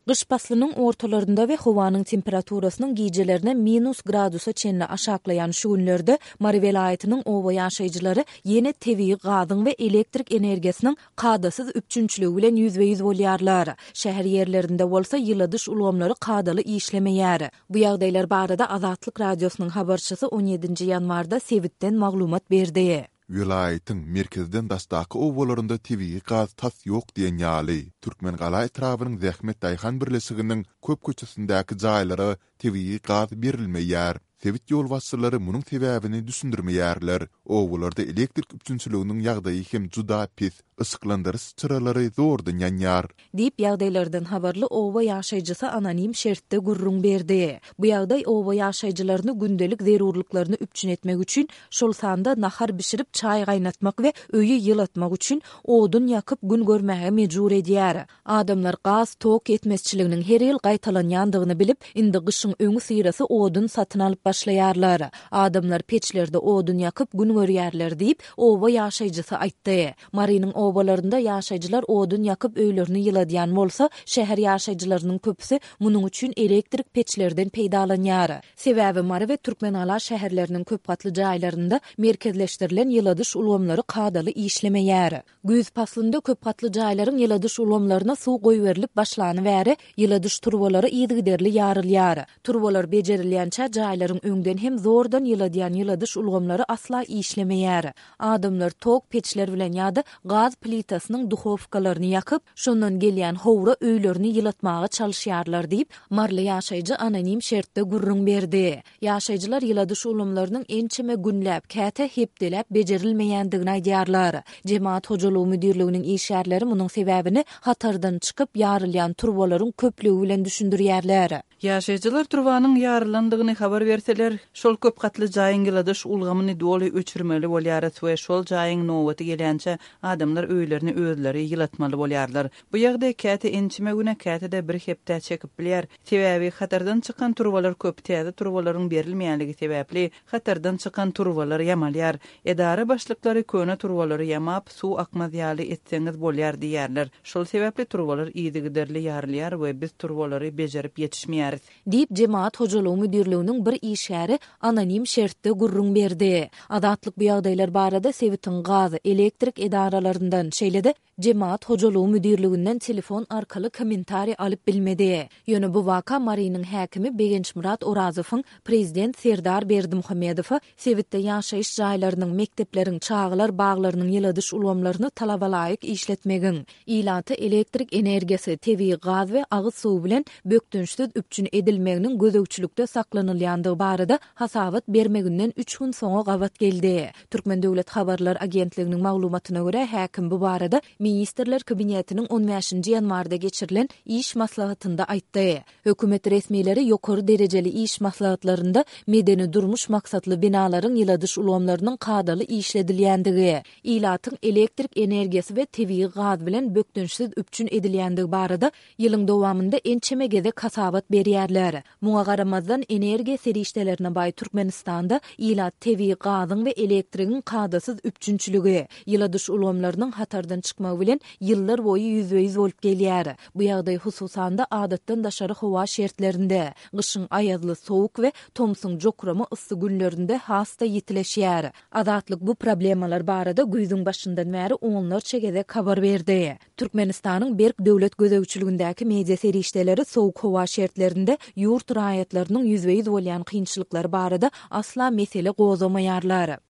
Gyş paslynyň ortalarynda we howanyň temperaturasynyň gijelerine minus gradusa çenli aşaklaýan şu günlerde Mary welaýatynyň oba ýaşaýjylary ýene tebigy gazyň we elektrik energiýasynyň kadasyz üpjünçiligi bilen ýüzbe-ýüz bolýarlar. Şäher ýerlerinde bolsa ýyladyş ulgamlary kadaly işlemeýär. Bu ýagdaýlar barada Azatlyk Radiosynyň habarçysy on ýedinji ýanwarda sebitden maglumat berdi. Welaýatyň merkezden daşdaky obalarynda tebigy gaz tas ýok diýen ýaly. Türkmengala etrabynyň Zähmet daýhan birleşiginiň köp köçesindäki jaýlara tebigy gaz berilmeýär. Sebit ýolbaşçylary munuň sebäbini düşündirmeýärler. Obalarda elektrik üpjünçiliginiň ýagdaýy hem juda pes, yşyklandyryş çyralary zordan ýanýar. Diýip, ýagdaýlardan habarly oba ýaşaýjysy anonim şertde gürrüň berdi. Bu ýagdaý oba ýaşaýjylaryny gündelik zerurlyklaryny üpjün etmek üçin, şol sanda nahar bişirip, çaý gaýnatmak we öýi ýylatmak üçin odun ýakyp gün görmäge mejbur edýär. Adamlar gaz, tok ýetmezçiliginiň her ýyl gaýtalanýandygyny bilip, indi gyşyň öňüsyrasy odun satyn alyp başlaýarlar. Adamlar peçlerde odun ýakyp gün görýärler diýip, oba ýaşaýjysy aýtdy. Marynyň obalarynda ýaşaýjylar odun ýakyp öýlerini ýyladýan bolsa, şäher ýaşaýjylarynyň köpüsi munuň üçin elektrik peçlerden peýdalanýar. Sebäbi Mary we Türkmengala şäherleriniň köpgatly jaýlarynda merkezleşdirilen ýyladyş ulgamlary kadaly işlemeýär. Güýz paslynda köpgatly jaýlaryň ýyladyş ulgamlaryna suw goýberilip başlany bäri, ýyladyş turbalary yzygiderli ýarylýar. Turbalar bejerilýänçä jaýlaryň öňden hem zordan ýyladýan ýyladyş ulgamlary asla işlemeýär. Adamlar tok peçler bilen ýa-da gaz plitasynyň duhowkalaryny ýakyp, şondan gelýän howra öýlerini ýylatmaga çalyşýarlar diýip, maryly ýaşaýjy anonim şertde gürrüň berdi. Ýaşaýjylar ýyladyş ulgamlarynyň ençeme günläp, käte hepdeläp bejerilmeýändigini aýdýarlar. Jemagat hojalygy müdirliginiň işgärleri munuň sebäbini hatardan çykyp, ýarylýan turbalaryň köplügi bilen düşündirýärler. Ýaşaýjylar turbanyň ýarylandygyny habar berseler, şol köp gatly jaýyň ýyladyş ulgamyny doly öçürmeli bolýarys we şol jaýyň nobaty gelýänçä adamlar öýlerini özleri ýylatmaly bolýarlar. Bu ýagdaý käte ençeme güne, käte-de bir hepdä çekip bilýär. Sebäbi hatardan çykan turbalar köp, täze turbalaryň berilmeýänligi sebäpli hatardan çykan turbalar ýamalýar. Edara başlyklary köne turbalary ýamap, suw akmaz ýaly etseňiz bolýar diýýärler. Şol sebäpli turbalar yzygiderli ýarylýar we biz turbalary bejerip ýetişmeýäris. Diýip, Jemagat hojalygy müdirliginiň bir işgäri anonim şertde gürrüň berdi. Azatlyk bu ýagdaýlar barada sebitiň gaz, elektrik edaralaryndan, şeýle-de Jemagat hojalygy müdirliginden telefon arkaly kommentariý alyp bilmedi. Ýöne bu waka Marynyň häkimi Begençmyrat Orazowyň prezident Serdar Berdimuhamedowa sebitde ýaşaýyş jaýlarynyň, mekdepleriň, çagalar baglarynyň ýyladyş ulgamlaryny talabalaýyk işletmegiň, ilaty elektrik energiýasy, tebigy gaz we agyz suwy bilen bökdençsiz üpjün edilmeginiň gözegçilikde saklanylýandygy barada hasabat bermeginden üç gün soňa gabat geldi. Türkmen döwlet habarlar agentliginiň maglumatyna görä, häkim bu barada Ministrler Kabinetiniň on bäşinji ýanwarda geçirilen iş maslahatynda aýtdy. Hökümet resmileri ýokary derejeli iş maslahatlarynda medeni-durmuş maksatly binalaryň ýyladyş ulgamlarynyň kadaly işledilýändigi, ilatyň elektrik energiýasy we tebigy gaz bilen bökdençsiz üpjün edilýändigi barada ýylyň dowamynda ençeme gezek hasabat berýärler. Muňa garamazdan, energiýa serişdelerine baý Türkmenistanda ilat tebigy gazyň we elektrigiň kadasyz üpjünçiligi, ýyladyş ulgamlarynyň hatardan çykmagy bilen ýyllar boýy ýüzbe-ýüz bolup gelýär. Bu ýagdaý, hususan-da, adatdan daşary howa şertlerinde, gyşyň aýazly sowuk we tomsuň jokrama yssy günlerinde has-da ýitileşýär. Azatlyk bu problemalar barada güýzüň başyndan bäri onlarça gezek habar berdi. Türkmenistanyň berk döwlet gözegçiligindäki media serişdeleri sowuk howa şertlerinde ýurt raýatlarynyň ýüzbe-ýüz bolýan kynçylyklary barada asla mesele gozgamaýarlar.